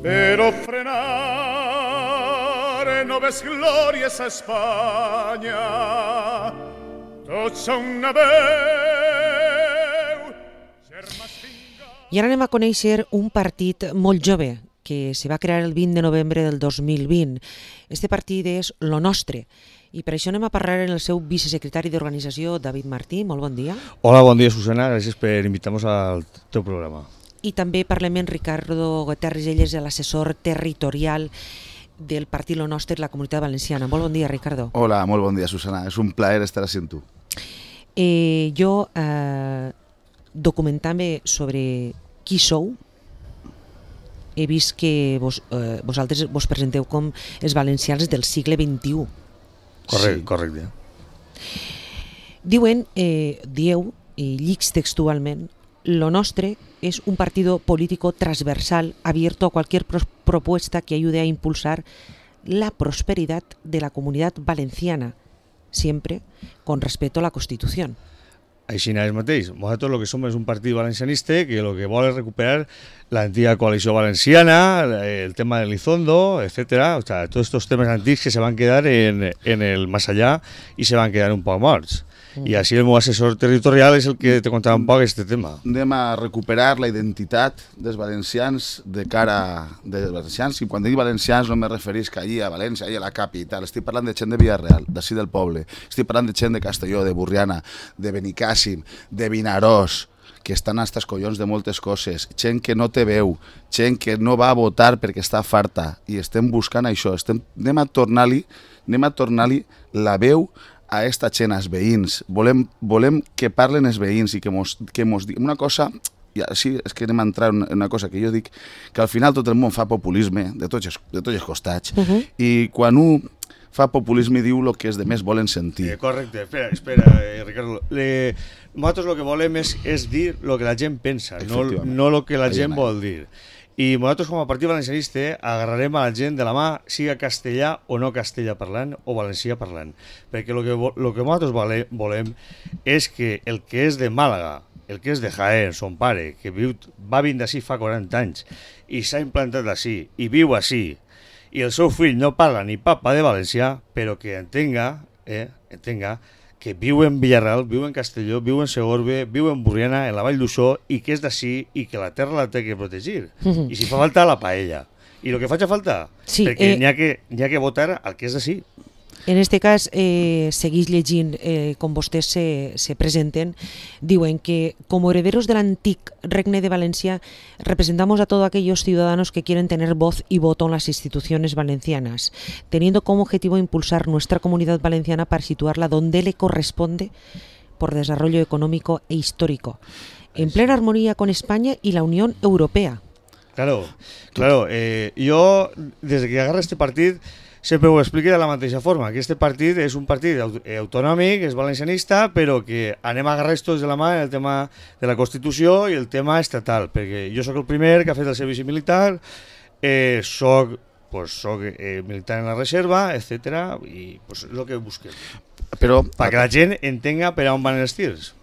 Pero frenar no ves glòries a Espanya, tots són una veu. I ara anem a conèixer un partit molt jove que se va crear el 20 de novembre del 2020. Este partit és Lo Nostre. I per això anem a parlar amb el seu vicesecretari d'organització, David Martí. Molt bon dia. Hola, bon dia, Susana. Gràcies per invitar-nos al teu programa. I també parlem amb Ricardo Guterres, ell és l'assessor territorial del partit Lo Nostre de la Comunitat Valenciana. Molt bon dia, Ricardo. Hola, molt bon dia, Susana. És un plaer estar així amb tu. Jo, documentant-me sobre qui sou, he vist que vosaltres vos presenteu com els valencians del segle XXI. Correcte. Dieu, i llics textualment, Lo Nostre es un partido político transversal abierto a cualquier propuesta que ayude a impulsar la prosperidad de la comunidad valenciana, siempre con respeto a la Constitución. Així és mateix. Nosaltres el que som és un partit valencianista que el que vol és recuperar l'antiga coalició valenciana, el tema del Lizondo, etc. O sea, tots estos temes antics que se van quedar en el más allá i se van quedar un poc morts. I així el meu assessor territorial és el que te contarà un poc aquest tema. Anem a recuperar la identitat dels valencians de cara dels valencians, i quan dic valencians no me referís que allí a València, allí a la capital, estic parlant de gent de Villarreal, d'ací del poble, estic parlant de gent de Castelló, de Burriana, de Benicàssim, de Vinaròs, que estan hasta els collons de moltes coses, gent que no té veu, gent que no va a votar perquè està farta, i estem buscant això, anem a tornar-li la veu a esta gent, als veïns. Volem que parlen els veïns i que mos diguin una cosa. I així és que anem a entrar en una cosa que jo dic, que al final tot el món fa populisme de tots els costats, i quan un fa populisme diu el que els demés volen sentir. Correcte, espera, Ricardo. Nosaltres el que volem és dir el que la gent pensa, no el que la gent vol dir. I nosaltres com a partit valencianista agarrarem a la gent de la mà, siga castellà o no castellà parlant o valencià parlant, perquè el que nosaltres volem és que el que és de Màlaga, el que és de Jaén, son pare, que va vindre d'ací fa 40 anys i s'ha implantat d'ací i viu ací, i el seu fill no parla ni papa de valencià, però que entenga que viu en Villarreal, viu en Castelló, viu en Segorbe, viu en Burriana, en la Vall d'Uixó, i que és d'ací i que la terra la té que protegir. I si fa falta, la paella. I el que faci falta, perquè n'hi ha que votar al que és d'ací. En este cas, seguís llegint com vostès se presenten, diuen que como herederos del antic Regne de Valencia representamos a todos aquellos ciudadanos que quieren tener voz y voto en las instituciones valencianas, teniendo como objetivo impulsar nuestra comunidad valenciana para situarla donde le corresponde por desarrollo económico e histórico, en plena armonía con España y la Unión Europea. Claro. Jo, des que agarra este partit, sempre ho explico de la mateixa forma, que este partit és un partit autonòmic, és valencianista, però que anem a agarrar tots de la mà el tema de la Constitució i el tema estatal, perquè jo sóc el primer que ha fet el servici militar, soc militar en la reserva, etc. I és el que busquem. Perquè la gent entenga per on van els tirs.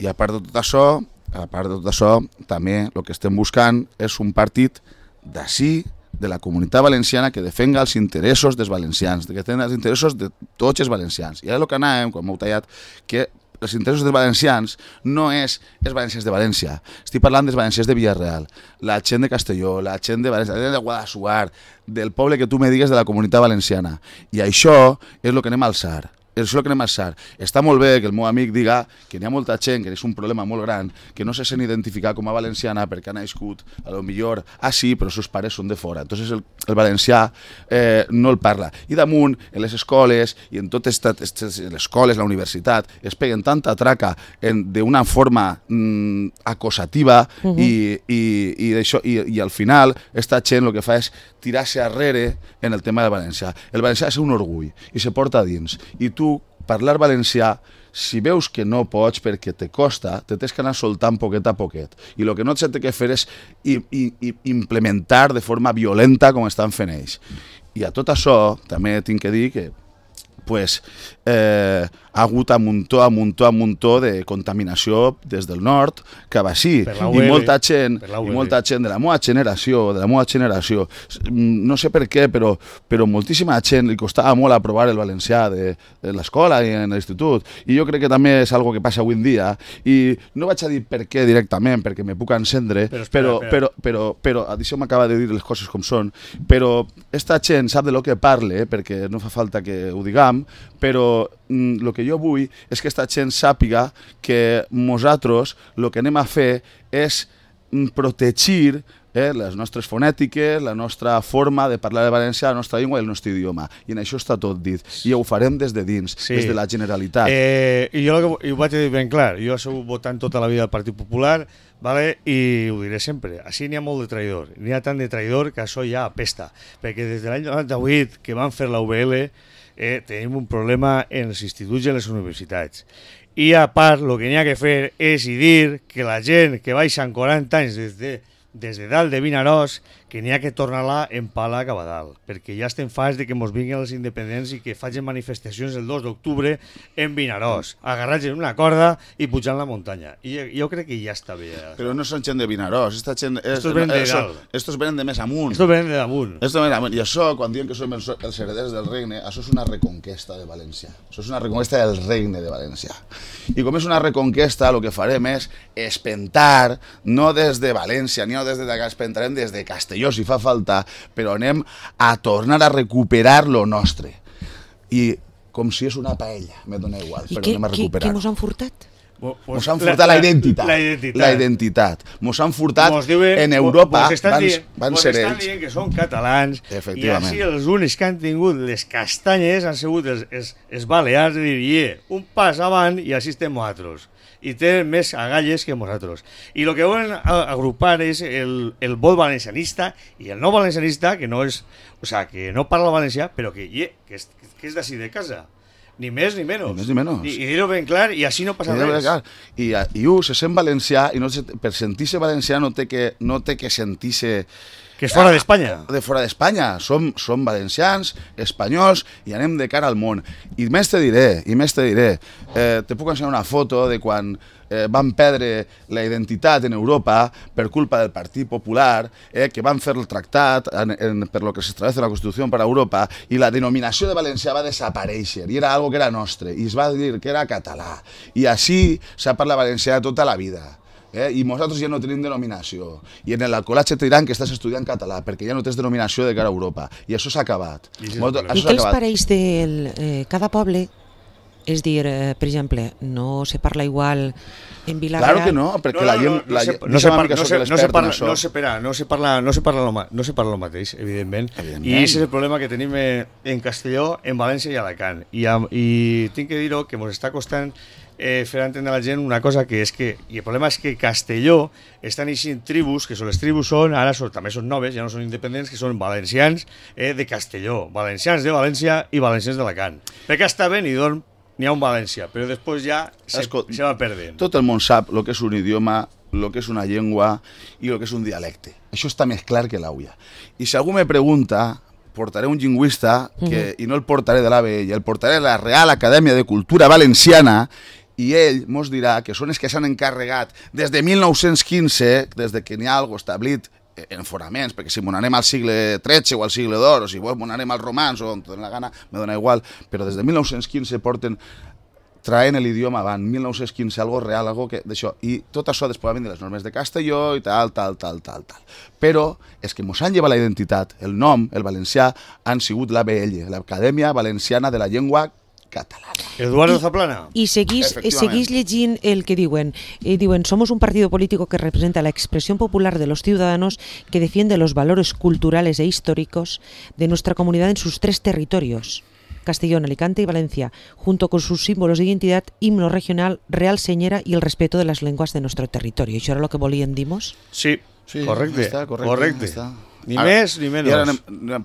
I a part de tot això, també el que estem buscant és un partit d'ací, de la comunitat valenciana, que defenga els interessos dels valencians, que defenga els interessos de tots els valencians. I ara el que anàvem, quan m'heu tallat, que els interessos dels valencians no és els valencians de València. Estic parlant dels valencians de Villarreal, la gent de Castelló, la gent de València, la gent de Guadassuar, del poble que tu me digues de la comunitat valenciana. I això és el que anem a alçar. Està molt bé que el meu amic diga que n'hi ha molta gent, que és un problema molt gran, que no se sent identificar com a valenciana perquè ha nascut, a lo millor, sí, però els seus pares són de fora. Entonces el valencià no el parla. I damunt, en les escoles, i en totes les escoles, la universitat, es peguen tanta traca d'una forma acosativa i al final esta gent el que fa és tirar-se arrere en el tema del valencià. El valencià és un orgull i se porta a dins. I tu, parlar valencià si veus que no pots perquè te costa, te tens que anar soltant poquet a poquet. I el que no s'ha de fer és implementar de forma violenta com estan fent ells. I a tot això també tinc que dir que ha hagut a muntó de contaminació des del nord cap així, i molta gent de la meva generació, no sé per què, però moltíssima gent li costava molt aprovar el valencià de l'escola i en l'institut, i jo crec que també és algo que passa avui en dia, i no vaig a dir per què directament, perquè me puc encendre, però això m'acaba de dir les coses com són, però esta gent sap de lo que parle, perquè no fa falta que ho diguem, però el que jo vull és que aquesta gent sàpiga que nosaltres el que anem a fer és protegir les nostres fonètiques, la nostra forma de parlar de valencià, la nostra llengua i el nostre idioma. I en això està tot dit. I ho farem des de dins, des de la Generalitat. I jo ho vaig dir ben clar. Jo he sigut votant tota la vida del Partit Popular, vale? I ho diré sempre. Així n'hi ha molt de traïdor. N'hi ha tant de traïdor que això ja apesta. Perquè des de l'any 98 que van fer la UBL tenim un problema en els instituts i en les universitats. I a part, el que n'hi ha que fer és dir que la gent que baixa en 40 anys des de dalt de Vinaròs, que n'hi ha que tornar-la en pala cap a dalt, perquè ja estem farts de que mos vinguin els independents i que facin manifestacions el 2 d'octubre en Vinaròs, agarrats en una corda i pujant la muntanya. I jo crec que ja està bé. Però no són gent de Vinaròs, estos venen de més amunt. Estos venen de damunt. I això, quan diuen que som els hereders del regne, això és una reconquesta de València. Això és una reconquesta del regne de València. I com és una reconquesta, el que farem és espentar, no des de València, ni des de espentarem des de Castelló, si fa falta, però anem a tornar a recuperar lo nostre. I com si és una paella, me dona igual, però anem a recuperar. I què mos han furtat? Mos han furtat la identitat. Mos han furtat en Europa, van ser ells. Mos estan dient que són catalans, i així els únics que han tingut les castanyes han sigut els balears, de dir, un pas avant i així estem nosaltres. I tenen més agalles que nosaltres. I el que volen agrupar és el vot valencianista i el no valencianista, que no és, o sea, que no parla valencià, però que és d'ací de casa. Ni més ni menys. I dir-ho ben clar, i així no passa res. I se sent valencià, i per sentir-se valencià no té que sentir-se... Que és fora d'Espanya. De fora d'Espanya. Som valencians, espanyols, i anem de cara al món. I més te diré, te puc ensenyar una foto de quan van perdre la identitat en Europa per culpa del Partit Popular, que van fer el tractat per lo que s'establece la Constitució per a Europa, i la denominació de valencià va desaparèixer, i era algo que era nostre, i es va dir que era català. I així s'ha parlat valencià tota la vida. I nosaltres ja no tenim denominació, i en l'alcoholatge te diran que estàs estudiant català perquè ja no tens denominació de cara a Europa, i això s'ha acabat. I què els pareix de cada poble? És dir, per exemple, no se parla igual en Vila-real? Claro que no, perquè la gent... No se parla el mateix, evidentment. I aquest és el problema que tenim en Castelló, en València i Alacant. I tinc que dir-ho que ens està costant fer entendre a la gent una cosa que és que, i el problema és que Castelló estan eixint tribus, que les tribus ara també són noves, ja no són independents, que són valencians de Castelló, valencians de València i valencians d'Alacant. Perquè està bé, n'hi ha un València, però després ja se va perdent. Tot el món sap el que és un idioma, el que és una llengua i el que és un dialecte. Això està més clar que l'aulla. I si algú me pregunta, portaré un lingüista, i no el portaré de l'ABL, el portaré a la Real Acadèmia de Cultura Valenciana, i ell mos dirà que són els que s'han encarregat des de 1915, des de que n'hi ha alguna cosa establit en fonaments, perquè si m'anem al segle XIII o al segle d'or, o si m'anem als romans o on te dona la gana, me dona igual, però des de 1915 porten traient l'idioma avant, 1915, algo real, algo que d'això, i tot això després va venir les normes de Castelló i tal. Però és que mos han llevat la identitat, el nom, el valencià, han sigut l'ABL, l'Acadèmia Valenciana de la Llengua Catalana. Eduardo Zaplana. Y seguís llegint el que diuen. Somos un partido político que representa la expresión popular de los ciudadanos que defiende los valores culturales e históricos de nuestra comunidad en sus 3 territorios. Castellón, Alicante y Valencia, junto con sus símbolos de identidad, himno regional, real señera y el respeto de las lenguas de nuestro territorio. ¿Això era lo que volien dimos? Sí, correcte. Correcte. Ni més ni menys. I ara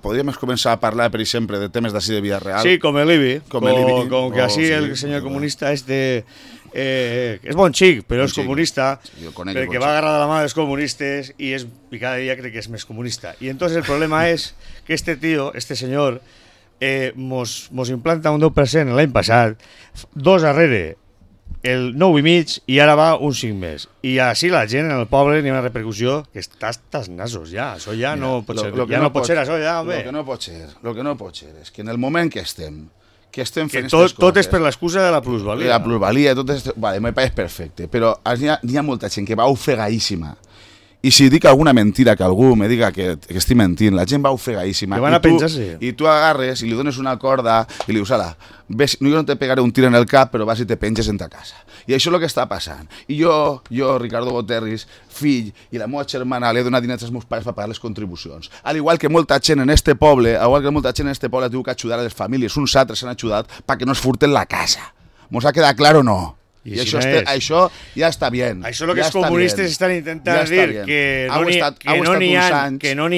podríem començar a parlar, per exemple, de temes d'ací de Villarreal. Sí, com el IBI. Com el IBI. Com que així el senyor comunista és bon xic, però és comunista, perquè va agarrar de la mà dels comunistes i cada dia crec que és més comunista. I entonces el problema és que este senyor, mos implanta un 10% l'any passat, 2 darrere, el 9,5 i ara va un 5 més. I així la gent en el poble n'hi ha una repercussió que està hasta els nasos ja. Això ja no pot ser. Ja no pot ser això ja, home. Lo que no pot ser és que en el moment que estem fent aquestes coses... Tot és per l'excusa de la plusvalia. La plusvalia, tot és... Vale, me pareix perfecte, però n'hi ha molta gent que va ofegadíssima. I si dic alguna mentira que algú me diga que estic mentint, la gent va ofegadíssima. Que van a penjar-se. I tu agarres i li dones una corda i li dius, ala, ves, jo no te pegaré un tir en el cap, però vas i te penges en ta casa. I això és el que està passant. I jo, Ricardo Goterris, fill, i la meva germana, li he donat diners als meus pares per pagar les contribucions. Al igual que molta gent en este poble, ha tingut que ajudar a les famílies, uns altres s'han ajudat perquè no es furten la casa. ¿Mos ha quedat clar o no? I això ja està bé. Això és el que els comunistes estan intentant dir, que no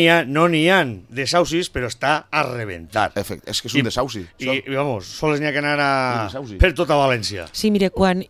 n'hi ha desaucis, però està a rebentar. És que és un desauci. I vamos, sols n'hi ha que anar per tota València. Sí, mire, quan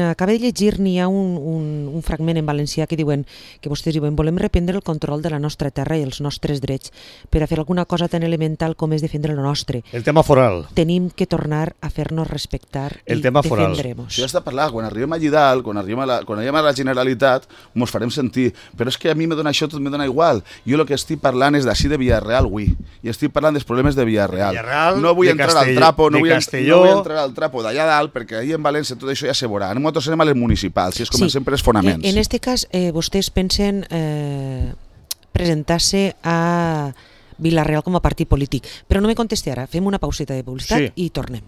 acabé de llegir n'hi ha un fragment en valencià que diuen, que vostès diuen, volem reprendre el control de la nostra terra i els nostres drets per a fer alguna cosa tan elemental com és defendre el nostre. El tema foral. Tenim que tornar a fer-nos respectar i defendremos. Sí, parlar, quan arribem allí dalt, quan arribem a la Generalitat, mos farem sentir, però és que a mi me dona això, tot me dona igual. Jo el que estic parlant és d'ací de Villarreal, avui, i estic parlant dels problemes de Villarreal. No vull entrar al trapo, no vull entrar al trapo d'allà dalt, perquè ahir en València tot això ja se veurà. Nosaltres anem a les municipals, i és comencem per els fonaments. En este cas, vostès pensen presentar-se a Villarreal com a partit polític, però no me contesti ara, fem una pauseta de publicitat i tornem.